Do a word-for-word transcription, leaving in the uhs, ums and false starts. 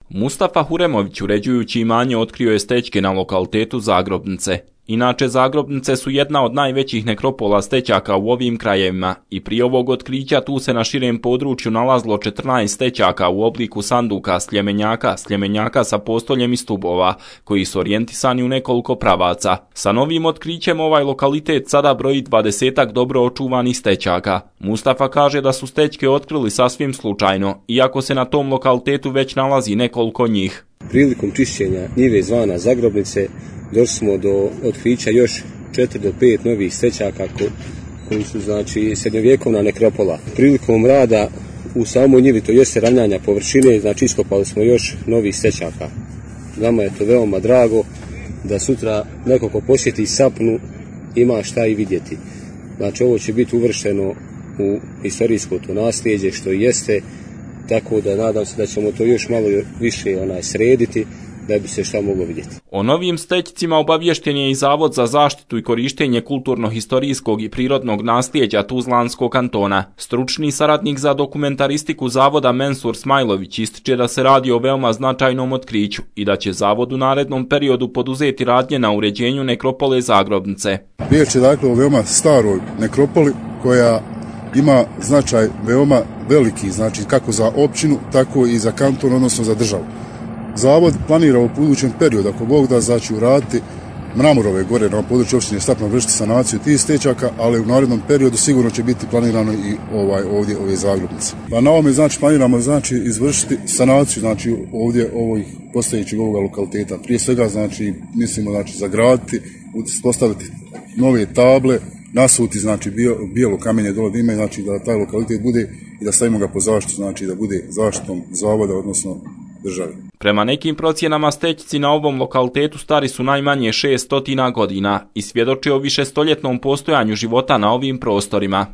Mustafa Huremović, uređujući imanje, otkrio je stećke na lokalitetu Zagrobnice. Inače, Zagrobnice su jedna od najvećih nekropola stećaka u ovim krajevima i prije ovog otkrića tu se na širem području nalazilo četrnaest stećaka u obliku sanduka sljemenjaka, sljemenjaka sa postoljem i stubova, koji su orijentisani u nekoliko pravaca. Sa novim otkrićem ovaj lokalitet sada broji dvadesetak dobro očuvanih stećaka. Mustafa kaže da su stećke otkrili sasvim slučajno, iako se na tom lokalitetu već nalazi nekoliko njih. Prilikom čišćenja njive zvana Zagrobnice došli smo do otkrića još četiri do pet novih stećaka koji su znači srednjovjekovna nekropola. Prilikom rada u samoj njivi, to jeste ravnanja površine, znači iskopali smo još novih stećaka. Nama je to veoma drago da sutra neko ko posjeti Sapnu ima šta i vidjeti. Znači ovo će biti uvršteno u historijsko to nasljeđe što jeste, tako da nadam se da ćemo to još malo više onaj srediti da bi se šta moglo vidjeti. O novim stećcima obaviješten je i Zavod za zaštitu i korištenje kulturno-historijskog i prirodnog nasljeđa Tuzlanskog kantona. Stručni saradnik za dokumentaristiku Zavoda Mensur Smajlović ističe da se radi o veoma značajnom otkriću i da će Zavod u narednom periodu poduzeti radnje na uređenju nekropole Zagrobnice. Riječ je dakle o veoma staroj nekropoli koja ima značaj veoma veliki, znači kako za općinu, tako i za kanton, odnosno za državu. Zavod planira u budućem periodu, ako Bog da, znači uraditi Mramorove gore na području opštine Stapna, vršiti sanaciju tih stećaka, ali u narednom periodu sigurno će biti planirano i ovaj ovdje ove Zagrobnice. Pa na ovome znači planiramo znači izvršiti sanaciju znači ovdje ovih postojećeg ovoga lokaliteta. Prije svega znači mislimo znači zagraditi, postaviti nove table, nasuti znači bijelo kamenje dole da ima, znači da taj lokalitet bude i da stavimo ga po zaštitu, znači da bude zaštitom zavoda, odnosno države. Prema nekim procjenama stećci na ovom lokalitetu stari su najmanje šest stotina godina i svjedoče o višestoljetnom postojanju života na ovim prostorima.